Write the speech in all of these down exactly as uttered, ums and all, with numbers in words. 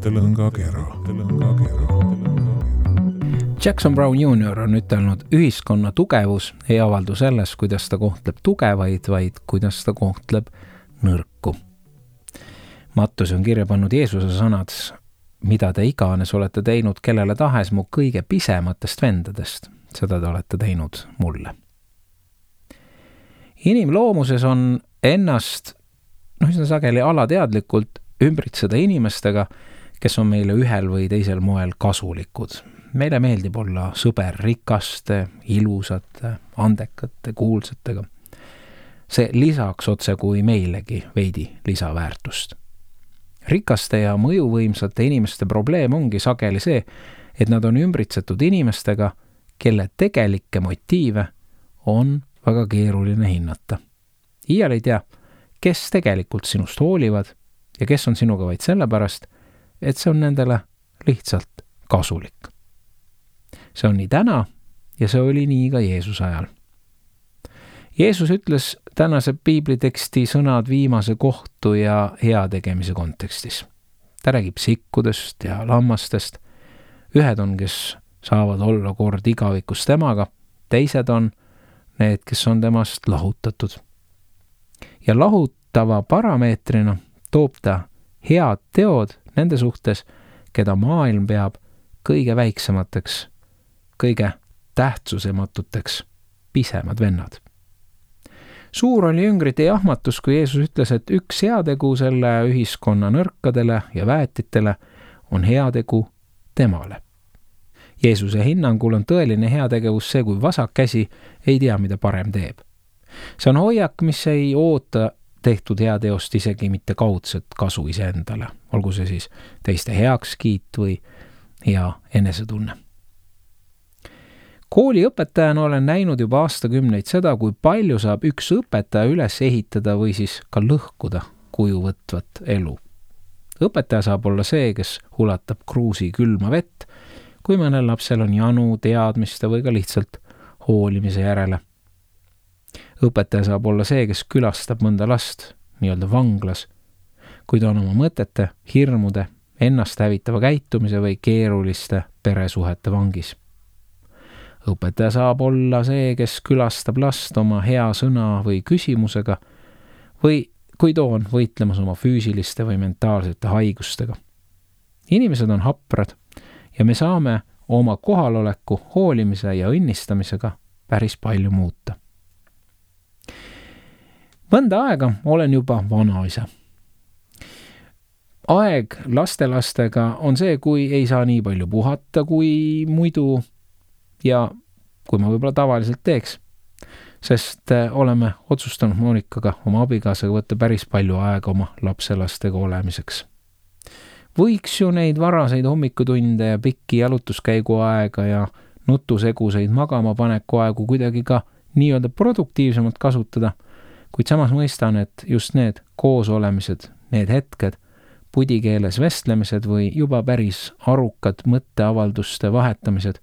tõlõngakera. Jackson Brown junior on ütelnud, ühiskonna tugevus ei avaldu selles, kuidas ta kohtleb tugevaid, vaid kuidas ta kohtleb nõrku. Mattus on kirja pannud Jeesuse sõnad, mida te iganes olete teinud kellele tahes mu kõige pisematest vendadest, seda te olete teinud mulle. Inimloomuses on ennast, noh, üsna sageli alateadlikult ümbritseda inimestega, kes on meile ühel või teisel moel kasulikud. Meile meeldib olla sõber rikaste, ilusate, andekate, kuulsatega. See lisaks otse kui meilegi veidi lisaväärtust. Rikaste ja mõjuvõimsate inimeste probleem ongi sageli see, et nad on ümbritsetud inimestega, kelle tegelikke motiive on väga keeruline hinnata. Iial ei tea, kes tegelikult sinust hoolivad ja kes on sinuga vaid sellepärast, et see on nendele lihtsalt kasulik. See on nii täna ja see oli nii ka Jeesuse ajal. Jeesus ütles tänase piibliteksti sõnad viimase kohtu ja heategemise kontekstis. Ta räägib sikkudest ja lammastest. Ühed on, kes saavad olla kord igavikus temaga, teised on need, kes on temast lahutatud. Ja lahutava parameetrina toob ta head teod nende suhtes, keda maailm peab kõige väiksemateks, kõige tähtsusematuteks pisemad vennad. Suur oli jüngrite jahmatus, kui Jeesus ütles, et üks heategu selle ühiskonna nõrkadele ja väetitele on heategu temale. Jeesuse hinnangul on tõeline heategevus see, kui vasak käsi ei tea, mida parem teeb. See on hoiak, mis ei oota tehtud heateost isegi mitte kaudset kasu iseendale, olgu see siis teiste heakskiit või hea enesetunne. Kooliõpetajana olen näinud juba aastakümneid seda, kui palju saab üks õpetaja üles ehitada või siis ka lõhkuda kuju võtvat elu. Õpetaja saab olla see, kes ulatab kruusi külma vett, kui mõnel lapsel on janu teadmiste või ka lihtsalt hoolimise järele. Õpetaja saab olla see, kes külastab mõnda last, nii-öelda vanglas, kui ta on oma mõtete, hirmude, ennast hävitava käitumise või keeruliste peresuhete vangis. Õpetaja saab olla see, kes külastab last oma hea sõna või küsimusega või kui too on võitlemas oma füüsiliste või mentaalsete haigustega. Inimesed on haprad ja me saame oma kohaloleku, hoolimise ja õnnistamisega päris palju muuta. Mõnda aega olen juba vanaisa. Aeg lastelastega on see, kui ei saa nii palju puhata kui muidu ja kui ma võib-olla tavaliselt teeks, sest oleme otsustanud Monikaga oma abikaasaga võtta päris palju aega oma lapselastega olemiseks. Võiks ju neid varaseid hommikutunde ja pikki jalutuskäigu aega ja nutuseguseid magama paneku aegu kuidagi ka nii-öelda produktiivsemalt kasutada, kuid samas mõistan, et just need koosolemised, need hetked, pudikeeles vestlemised või juba päris arukad mõtteavalduste vahetamised,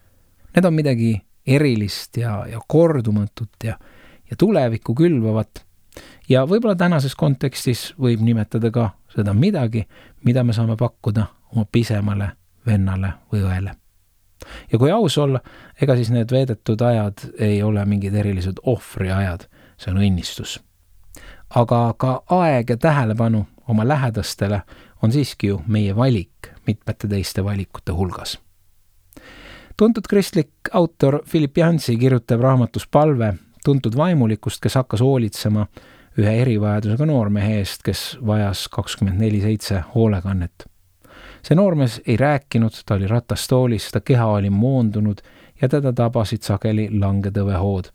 need on midagi erilist ja, ja kordumatut ja, ja tulevikku külvavat. Ja võib-olla tänases kontekstis võib nimetada ka seda midagi, mida me saame pakkuda oma pisemale vennale või õele. Ja kui aus olla, ega siis need veedetud ajad ei ole mingid erilised ohvriajad, see on õnnistus. Aga ka aeg ja tähelepanu oma lähedastele on siiski ju meie valik mitmete teiste valikute hulgas. Tuntud kristlik autor Philip Yancey kirjutab raamatus Palve tuntud vaimulikust, kes hakkas hoolitsema ühe erivajadusega noormehe eest, kes vajas kakskümmend neli seitse hoolekannet. See noormees ei rääkinud, ta oli ratastoolis, ta keha oli moondunud ja teda tabasid sageli langetõvehood.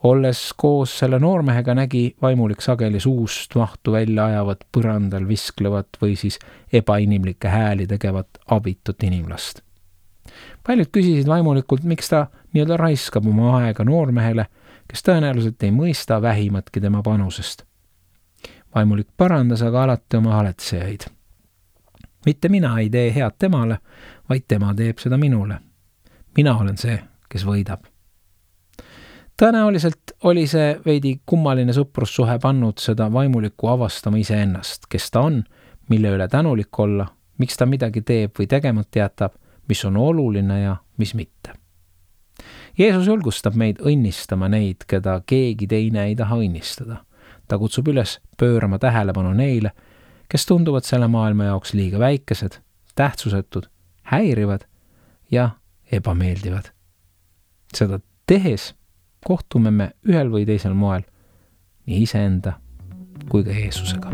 Olles koos selle noormehega nägi vaimulik sageli suust mahtu välja ajavat põrandal visklevat või siis ebainimlikke hääli tegevat abitut inimlast. Paljud küsisid vaimulikult, miks ta nii-öelda raiskab oma aega noormehele, kes tõenäoliselt ei mõista vähimatki tema panusest. Vaimulik parandas aga alati oma haletsejaid. Mitte mina ei tee head temale, vaid tema teeb seda minule. Mina olen see, kes võidab. Tõenäoliselt oli see veidi kummaline sõprussuhe pannud seda vaimulikku avastama iseennast, kes ta on, mille üle tänulik olla miks ta midagi teeb või tegemata jätab, mis on oluline ja mis mitte. Jeesus julgustab meid õnnistama neid, keda keegi teine ei taha õnnistada. Ta kutsub üles pöörama tähelepanu neile, kes tunduvad selle maailma jaoks liiga väikesed, tähtsusetud, häirivad ja ebameeldivad. Seda tehes kohtume me ühel või teisel moel nii iseenda kui ka Jeesusega.